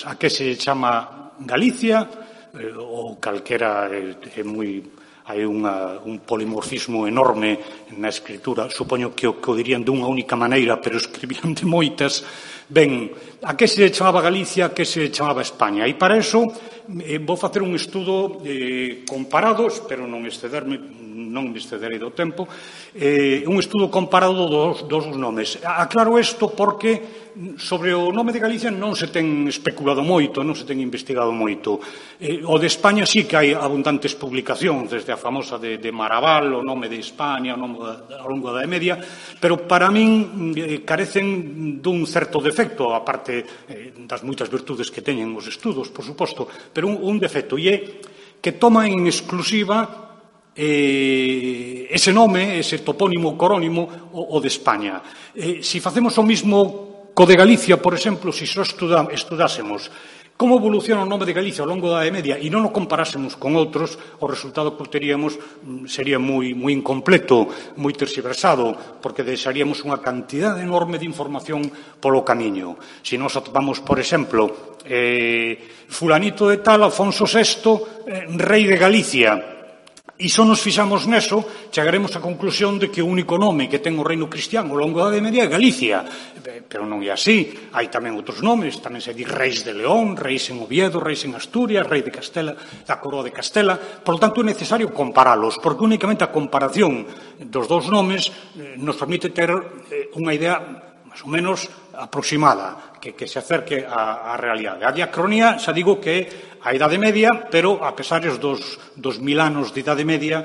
A que se chama Galicia, ou calquera é moi... Hai un polimorfismo enorme na escritura. Supoño que o dirían dunha única maneira, pero escribían de moitas. Ben, a que se chamaba Galicia, a que se chamaba España. E para eso vou facer un estudo comparado, espero non me excederei do tempo, un estudo comparado dos nomes. Aclaro isto porque sobre o nome de Galicia non se ten especulado moito, non se ten investigado moito. O de España sí que hai abundantes publicacións, desde a famosa de Maraval, o nome de España, o nome ao longo da Idade Media, pero para min carecen dun certo defecto, a parte das moitas virtudes que teñen os estudos, por suposto, pero un defecto, e é que toma en exclusiva ese nome, ese topónimo corónimo, o de España. Se facemos o mismo co de Galicia, por exemplo, se só estudásemos como evoluciona o nome de Galicia ao longo da Idade Media e non o comparásemos con outros, o resultado que obteríamos sería moi incompleto, moi terxiversado, porque deixaríamos unha cantidade enorme de información polo camiño. Se nos atopamos, por exemplo, fulanito de tal, Afonso VI, rei de Galicia, e só nos fixamos neso, chegaremos á conclusión de que o único nome que ten o reino cristiano ao longo da Idade Media é Galicia. Pero non é así. Hai tamén outros nomes, tamén se di reis de León, reis en Oviedo, reis en Asturias, rei de Castela, da coroa de Castela. Por lo tanto, é necesario comparalos, porque únicamente a comparación dos dous nomes nos permite ter unha idea máis ou menos aproximada, que se acerque á realidade. A diacronía, xa digo que é a Idade Media, pero a pesar dos 1000 anos de Idade Media,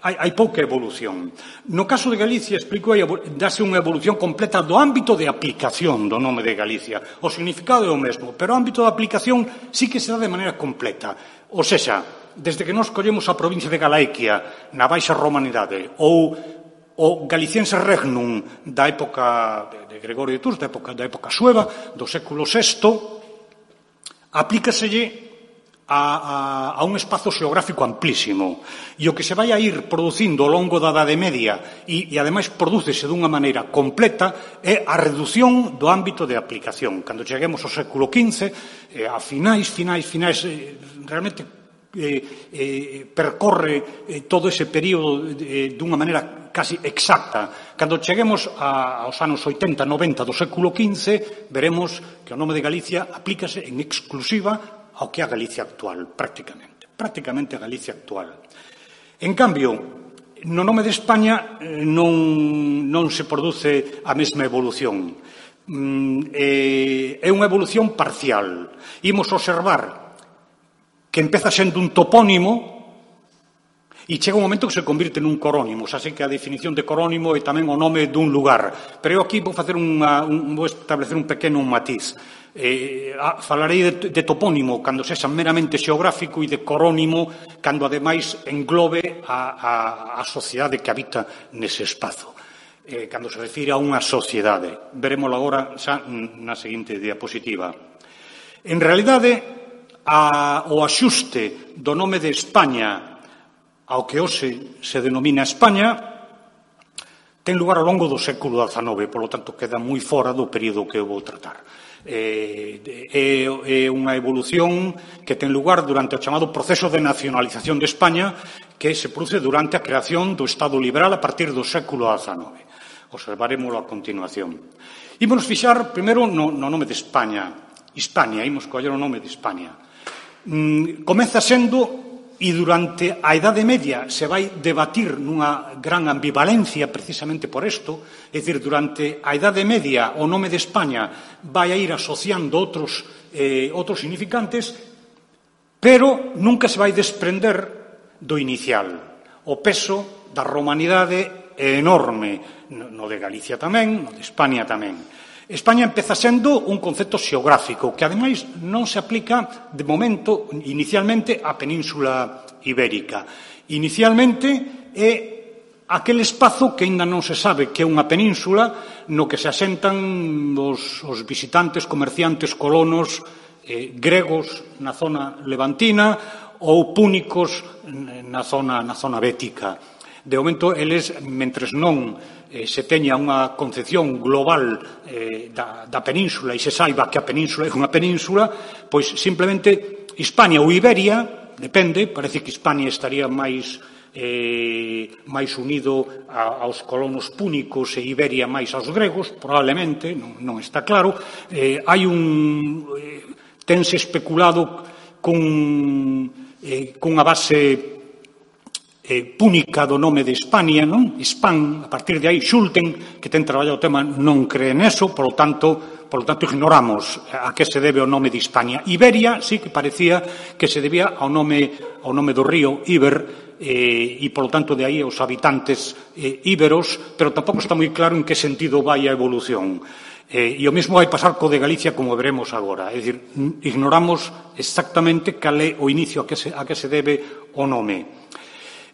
hai pouca evolución. No caso de Galicia, explico, dáse unha evolución completa do ámbito de aplicación do nome de Galicia. O significado é o mesmo, pero o ámbito de aplicación sí que se dá de maneira completa. Ou sexa, desde que nos collemos a provincia de Galaiquia na Baixa Romanidade, ou o Galiciense Regnum da época de Gregorio de Tours, da época sueva, do século VI, aplícaselle a un espazo xeográfico amplísimo. E o que se vai a ir producindo ao longo da Idade Media e ademais prodúcese dunha maneira completa é a redución do ámbito de aplicación. Cando cheguemos ao século XV, a finais, realmente percorre todo ese período dunha maneira casi exacta. Cando cheguemos aos anos 80, 90 do século XV, veremos que o nome de Galicia aplícase en exclusiva ao que é a Galicia actual, prácticamente a Galicia actual. En cambio, no nome de España non se produce a mesma evolución. É unha evolución parcial. Imos observar que empeza sendo un topónimo e chega un momento que se convirte nun corónimo. Xa sei que a definición de corónimo é tamén o nome dun lugar, pero eu aquí vou establecer un pequeno matiz. Falarei de topónimo cando sexa meramente xeográfico e de corónimo cando ademais englobe a sociedade que habita nese espazo. Cando se refire a unha sociedade. Verémoslo agora xa na seguinte diapositiva. En realidade, o axuste do nome de España ao que hoxe se denomina España ten lugar ao longo do século XIX, polo tanto queda moi fora do período que eu vou tratar. É unha evolución que ten lugar durante o chamado proceso de nacionalización de España, que se produce durante a creación do Estado liberal a partir do século XIX. Observarémoslo a continuación. Ímonos fixar primeiro no nome de España. Hispania, imos coller o nome de Hispania. Comeza sendo, e durante a Idade Media se vai debatir nunha gran ambivalencia precisamente por isto, é dicir, durante a Idade Media o nome de España vai a ir asociando outros significantes, pero nunca se vai desprender do inicial. O peso da romanidade é enorme, no de Galicia tamén, no de España tamén. España empeza sendo un concepto xeográfico que, ademais, non se aplica, de momento, inicialmente, á Península Ibérica. Inicialmente é aquel espazo que aínda non se sabe que é unha península no que se asentan os visitantes, comerciantes, colonos gregos na zona levantina ou púnicos na zona bética. De momento, eles, mentres non se teña unha concepción global da península e se saiba que a península é unha península, pois simplemente Hispania ou Iberia, depende, parece que Hispania estaría máis unido aos colonos púnicos e Iberia máis aos gregos, probablemente, non está claro. Tense especulado cunha base púnica do nome de Hispania, non? Hispan, a partir de aí, Schulten, que ten traballado o tema, non cree neso, polo tanto, ignoramos a que se debe o nome de Hispania. Iberia, sí que parecía que se debía ao nome do río Iber, e, polo tanto, de aí os habitantes íberos, pero tampouco está moi claro en que sentido vai a evolución. E o mesmo vai pasar co de Galicia, como veremos agora. É dicir, ignoramos exactamente cal é o inicio a que se debe o nome.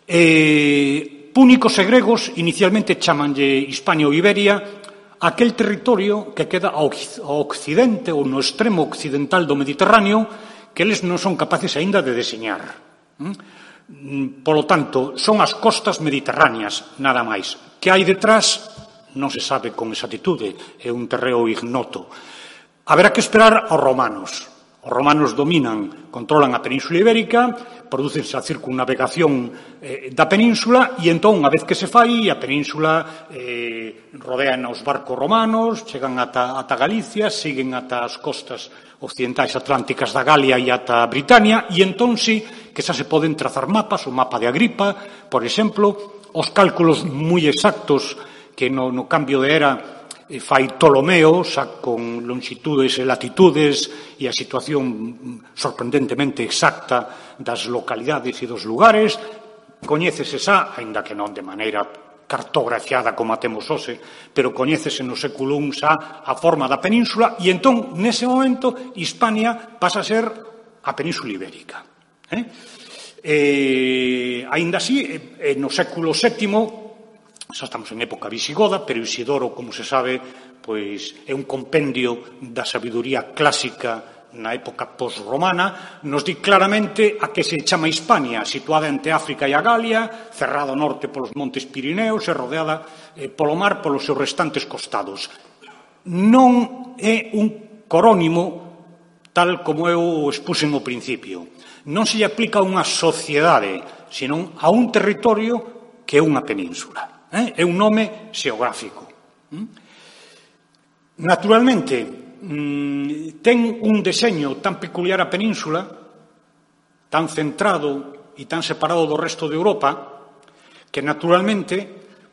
Púnicos e gregos inicialmente chamanlle Hispania ou Iberia aquel territorio que queda ao occidente ou no extremo occidental do Mediterráneo que eles non son capaces aínda de deseñar. Polo tanto, son as costas mediterráneas, nada máis. Que hai detrás non se sabe con exactitude, é un terreo ignoto. Haberá que esperar aos romanos. Os romanos controlan a Península Ibérica, prodúcense a circunnavegación da península e entón, unha vez que se fai, a península rodean os barcos romanos, chegan ata Galicia, siguen ata as costas occidentais atlánticas da Galia e ata Britania e entón sí que xa se poden trazar mapas, o mapa de Agripa, por exemplo, os cálculos moi exactos que no cambio de era fai Ptolomeo, xa con longitudes e latitudes e a situación sorprendentemente exacta das localidades e dos lugares, coñécese xa, aínda que non de maneira cartografiada como a temos hoxe, pero coñécese no século I xa a forma da península e entón, nese momento, Hispania pasa a ser a Península Ibérica. Aínda así, no século VII, xa estamos en época visigoda, pero Isidoro, como se sabe, pois é un compendio da sabiduría clásica na época post-romana, nos di claramente a que se chama Hispania, situada entre África e a Galia, cerrada ao norte polos montes Pirineos e rodeada polo mar polos seus restantes costados. Non é un corónimo tal como eu expuxen ao principio. Non se lle aplica a unha sociedade, senón a un territorio que é unha península. É un nome xeográfico. Naturalmente, ten un deseño tan peculiar a península, tan centrado e tan separado do resto de Europa, que naturalmente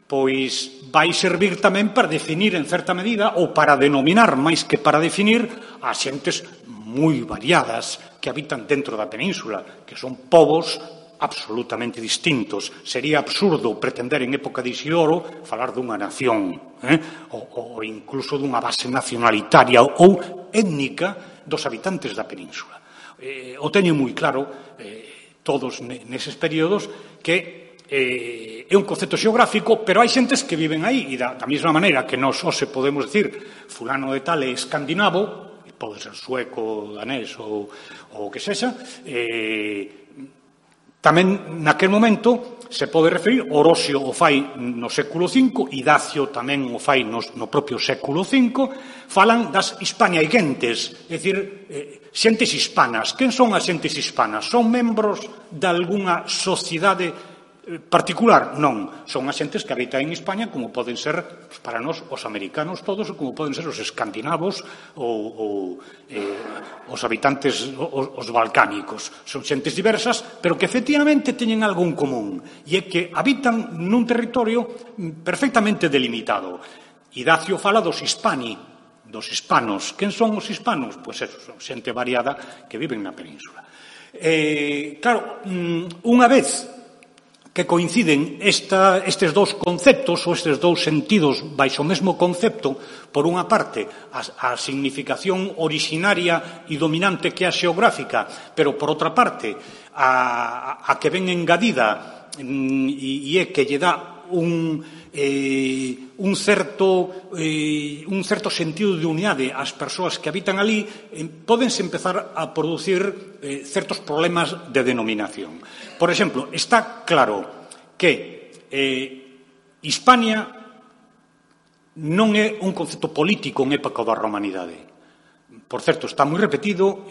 pois vai servir tamén para definir en certa medida ou para denominar máis que para definir a xentes moi variadas que habitan dentro da península, que son povos absolutamente distintos. Sería absurdo pretender en época de Isidoro falar dunha nación ou incluso dunha base nacionalitaria ou étnica dos habitantes da península. O teñen moi claro todos neses períodos que é un concepto xeográfico, pero hai xentes que viven aí e da mesma maneira que nós hoxe podemos decir fulano de tal é escandinavo, pode ser sueco, danés ou o que sexa, tamén naquel momento se pode referir, Orosio o fai no século V, Idacio tamén o fai no propio século V, falan das hispaniaigentes, é dicir, xentes hispanas. Quen son as xentes hispanas? Son membros de algunha sociedade particular? Non. Son as xentes que habitan en España como poden ser, para nós, os americanos todos, ou como poden ser os escandinavos ou os habitantes, os balcánicos. Son xentes diversas, pero que efectivamente teñen algo en común, e é que habitan nun territorio perfectamente delimitado. Idacio fala dos hispani, dos hispanos. Quen son os hispanos? Pois eso, son xente variada que viven na península. Claro, unha vez que coinciden estes dous conceptos ou estes dous sentidos baixo o mesmo concepto, por unha parte a significación originaria e dominante que é a xeográfica, pero por outra parte a que ven engadida e é que lle dá un certo sentido de unidade ás persoas que habitan ali, pódense empezar a producir certos problemas de denominación. Por exemplo, está claro que Hispania non é un concepto político en época da romanidade. Por certo, está moi repetido,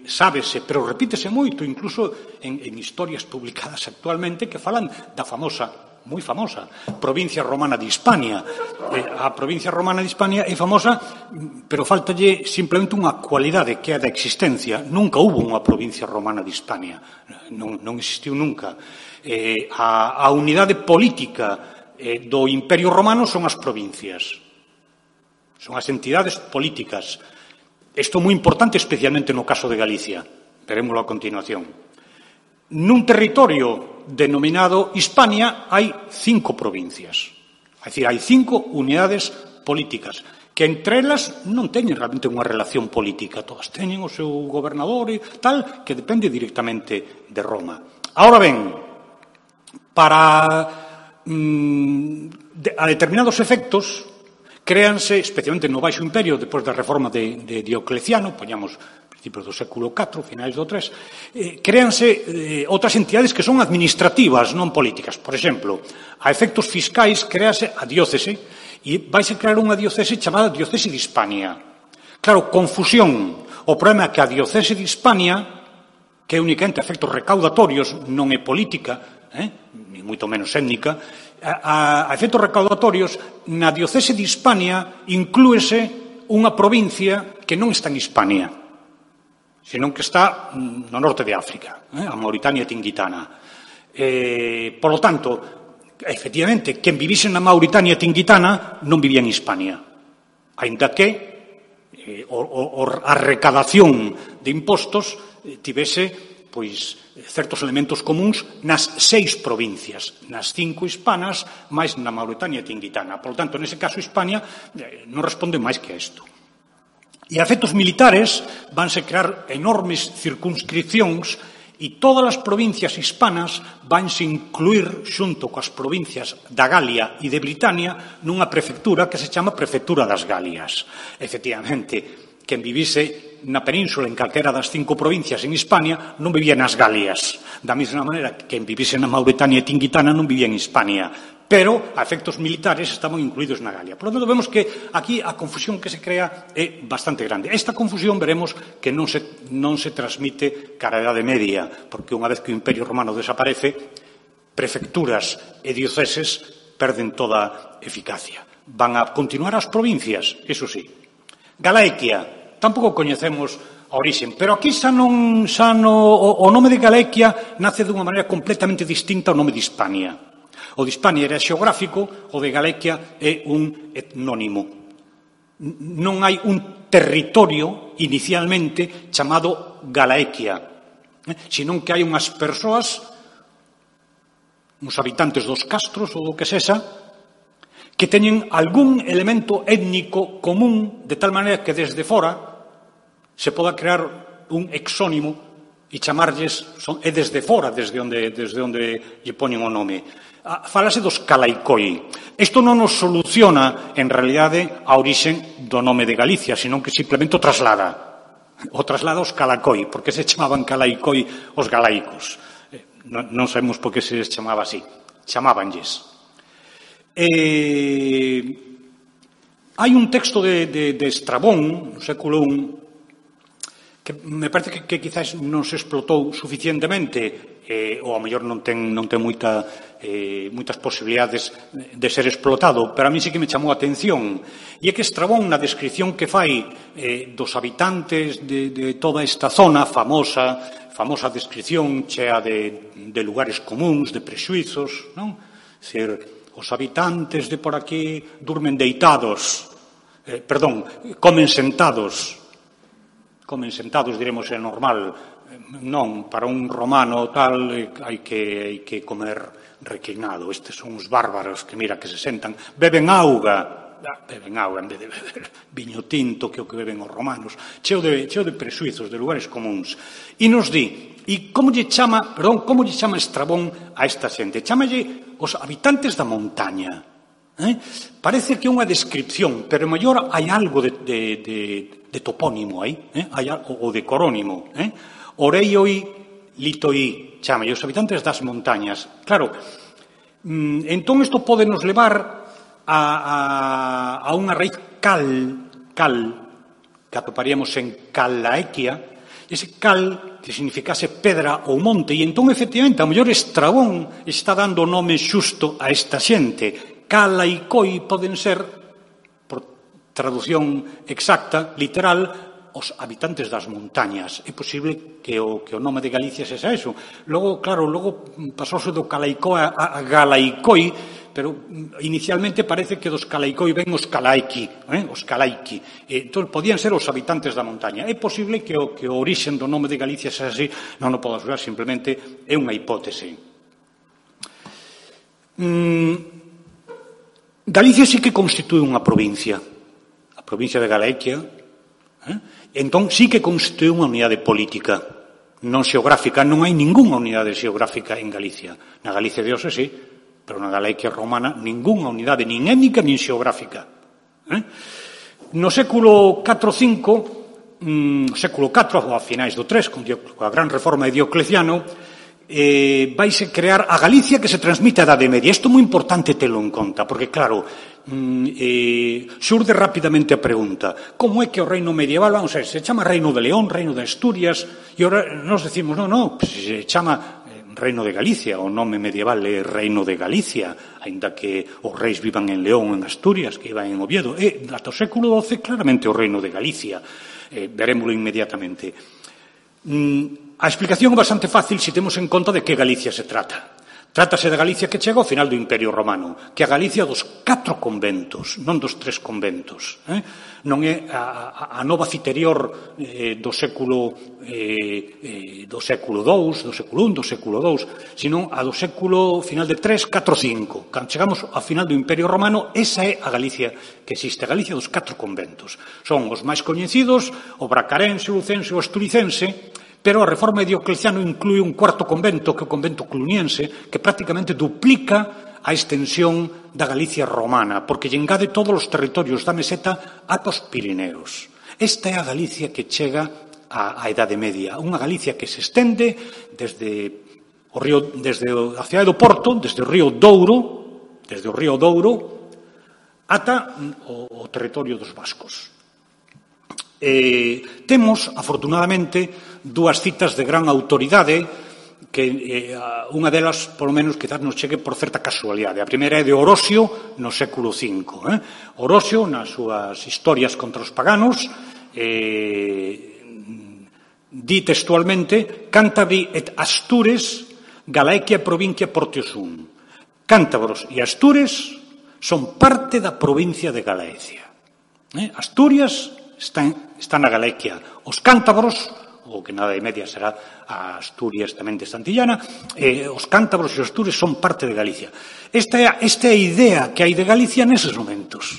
sábese, pero repítese moito, incluso en historias publicadas actualmente que falan da famosa, moi famosa, provincia romana de Hispania. A provincia romana de Hispania é famosa, pero faltalle simplemente unha cualidade que é a da existencia. Nunca hubo unha provincia romana de Hispania, non existiu nunca. A unidade política do Imperio Romano son as provincias, son as entidades políticas. Isto é moi importante, especialmente no caso de Galicia. Verémoslo a continuación. Nun territorio denominado Hispania hai 5 provincias. É dicir, hai 5 unidades políticas que entre elas non teñen realmente unha relación política. Todas teñen o seu gobernador e tal, que depende directamente de Roma. Ahora ben, para a determinados efectos créanse, especialmente no Baixo Imperio, depois da reforma de Diocleciano, poñamos principios do século IV, finais do III, créanse outras entidades que son administrativas, non políticas. Por exemplo, a efectos fiscais créase a diócese e vais a crear unha diócese chamada Diócese de Hispania. Claro, confusión. O problema é que a Diócese de Hispania, que é únicamente a efectos recaudatorios, non é política, ni moito menos étnica, a efectos recaudatorios, na Diocese de Hispania inclúese unha provincia que non está en Hispania, senón que está no norte de África, a Mauritania Tingitana. Por lo tanto, efectivamente, quen vivise na Mauritania Tingitana non vivía en Hispania, aínda que a recadación de impostos tivese certos elementos comuns nas 6 provincias, nas 5 hispanas, máis na Mauritania Tingitana. Por lo tanto, nese caso, Hispania non responde máis que a isto. E a efectos militares vanse crear enormes circunscripcións e todas as provincias hispanas vanse incluir xunto coas provincias da Galia e de Britania nunha prefectura que se chama Prefectura das Galias. Efectivamente, quen vivise na península en calquera das 5 provincias en Hispania non vivía nas Galias. Da mesma maneira que quen vivise na Mauritania Tingitana non vivía en Hispania, pero a efectos militares estaban incluídos na Galia. Por lo tanto, vemos que aquí a confusión que se crea é bastante grande. Esta confusión veremos que non se transmite cara a Idade Media, porque unha vez que o Imperio Romano desaparece, prefecturas e dioceses perden toda eficacia. Van a continuar as provincias, eso sí. Galaequia. Tampouco coñecemos a orixen, pero aquí o nome de Galaequia nace dunha maneira completamente distinta ao nome de Hispania. O de Hispania era xeográfico, o de Galaequia é un etnónimo. Non hai un territorio inicialmente chamado Galaequia, senón que hai unhas persoas, uns habitantes dos castros ou do que sexa, que teñen algún elemento étnico común, de tal maneira que desde fora se poda crear un exónimo e chamarlles, é desde fora, desde onde lle poñen o nome. Falase dos calaicoi. Isto non nos soluciona, en realidade, a orixen do nome de Galicia, senón que simplemente o traslada. O traslada aos calacoi, porque se chamaban calaicoi os galaicos. Non sabemos por que se les chamaba así. Chamábanlles. Hai un texto de Estrabón, no século I, que me parece que quizás non se explotou suficientemente, ou ao mellor non ten moitas posibilidades de ser explotado, pero a mí sí que me chamou a atención. E é que Estrabón, na descripción que fai dos habitantes de toda esta zona, famosa descripción chea de lugares comuns, de prexuizos, non? Ser os habitantes de por aquí durmen deitados, comen sentados. Comen sentados, diremos, é normal. Non, para un romano tal hai que comer reclinado. Estes son os bárbaros que, mira, que se sentan. Beben auga en vez de beber viño tinto, que é o que beben os romanos. Cheo de presuizos, de lugares comuns. E nos di, e como lle chama Estrabón a esta xente? Chámalle os habitantes da montaña. Parece que é unha descripción, pero mellor hai algo de topónimo aí, ou de corónimo. Oreioi, litoi, chamalle os habitantes das montañas. Claro, entón isto pode nos levar a unha raíz cal, que atoparíamos en Calaequia, ese cal que significase pedra ou monte, e entón, efectivamente, a mellor Estrabón está dando o nome xusto a esta xente. Calaicoi poden ser, por traducción exacta, literal, os habitantes das montañas. É posible que o nome de Galicia sexa eso. Logo, claro, pasouse do Calaicoi a Galaicoi, pero inicialmente parece que dos Calaicoi ven os Calaiki, os Calaiki. Entón, podían ser os habitantes da montaña. É posible que o orixen do nome de Galicia sexa así, non o podo asegurar, simplemente é unha hipótese. Galicia sí que constitúe unha provincia. A provincia de Galaequia, entón sí que constitúe unha unidade política, non xeográfica. Non hai ningunha unidade xeográfica en Galicia. Na Galicia de hoxe sí, pero na Galaequia romana ningunha unidade, nin étnica, nin xeográfica. No século IV-V, século IV, a finais do III, coa gran reforma de Diocleciano, vaise crear a Galicia que se transmite a Idade Media. Isto é moi importante telo en conta, porque, claro, xurde rapidamente a pregunta: como é que o reino medieval, vamos a ver, se chama Reino de León, Reino de Asturias, e ora nos decimos, non, se chama Reino de Galicia, o nome medieval é Reino de Galicia, aínda que os reis vivan en León, en Asturias, que iban en Oviedo. Ata o século XII, claramente o Reino de Galicia. Verémolo inmediatamente. A explicación é bastante fácil se temos en conta de que Galicia se trata. Trátase da Galicia que chega ao final do Imperio Romano, que é a Galicia dos 4 conventos, non dos 3 conventos. Non é a nova Citerior do século II, do século I, do século II, sino a do século final de 3, 4, 5. Cando chegamos ao final do Imperio Romano, esa é a Galicia que existe, a Galicia dos 4 conventos. Son os máis coñecidos, o bracarense, o lucense, o asturicense, pero a reforma de Diocleciano inclúe un 4º convento, que é o convento cluniense, que prácticamente duplica a extensión da Galicia romana, porque lle engade todos os territorios da meseta ata os Pirineos. Esta é a Galicia que chega á Idade Media, unha Galicia que se estende desde a cidade do Porto, desde o río Douro, ata o territorio dos vascos. Temos, afortunadamente, dúas citas de gran autoridade que unha delas, polo menos, quizás nos chegue por certa casualidade. A primeira é de Orosio no século V. Orosio, nas súas historias contra os paganos, di textualmente: Cántabri et Astures Galaequia provincia Portiosum. Cántabros e Astures son parte da provincia de Galaecia. Asturias está na Galaequia. Os cántabros, o que na Idade Media será a Asturias tamén de Santillana, os cántabros e os Astures son parte de Galicia. Esta é a idea que hai de Galicia neses momentos,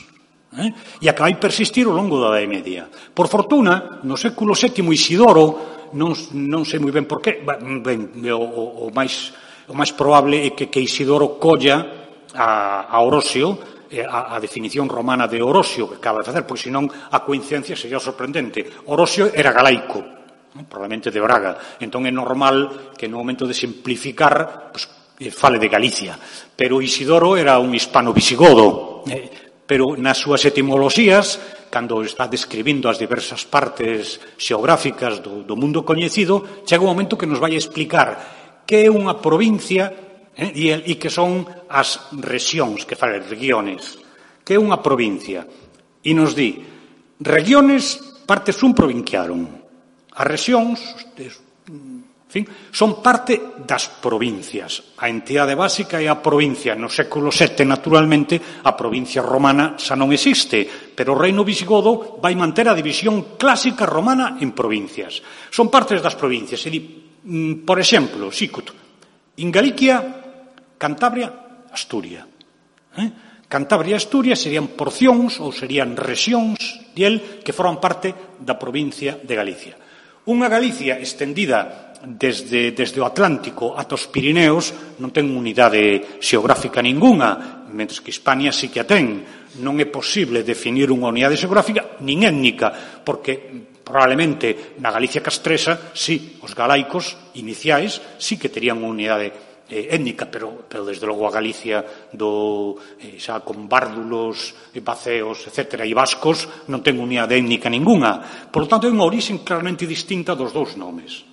e a que vai persistir ao longo da Idade Media. Por fortuna, no século VII, Isidoro, non sei moi ben por qué, o máis probable é que Isidoro colla a Orosio, a definición romana de Orosio que acaba de facer, pois senón a coincidencia sería sorprendente. Orosio era galaico, probablemente de Braga, entón é normal que no momento de simplificar fale de Galicia, pero Isidoro era un hispano visigodo, pero nas súas etimoloxías, cando está describindo as diversas partes xeográficas do mundo coñecido, chega un momento que nos vai explicar que é unha provincia e que son as rexións, que fala regiones, que é unha provincia. E nos di, regiones parte sum provinciarum. As rexións, en fin, son parte das provincias. A entidade básica é a provincia. No século VII, naturalmente, a provincia romana xa non existe, pero o reino visigodo vai manter a división clásica romana en provincias. Son partes das provincias. E di, por exemplo, Sicut, en Galicia, Cantabria, Asturia. Cantabria e Asturia serían porcións ou serían rexións que forman parte da provincia de Galicia. Unha Galicia estendida desde o Atlántico ata os Pirineos non ten unidade xeográfica ningunha, mentres que Hispania sí que a ten. Non é posible definir unha unidade xeográfica nin étnica, porque probablemente na Galicia castresa, sí, os galaicos iniciais sí que terían unha unidade étnica, pero desde logo a Galicia xa con bárdulos, baceos, etc., e vascos non ten unidade étnica ninguna. Por lo tanto, é unha orixe claramente distinta dos dous nomes.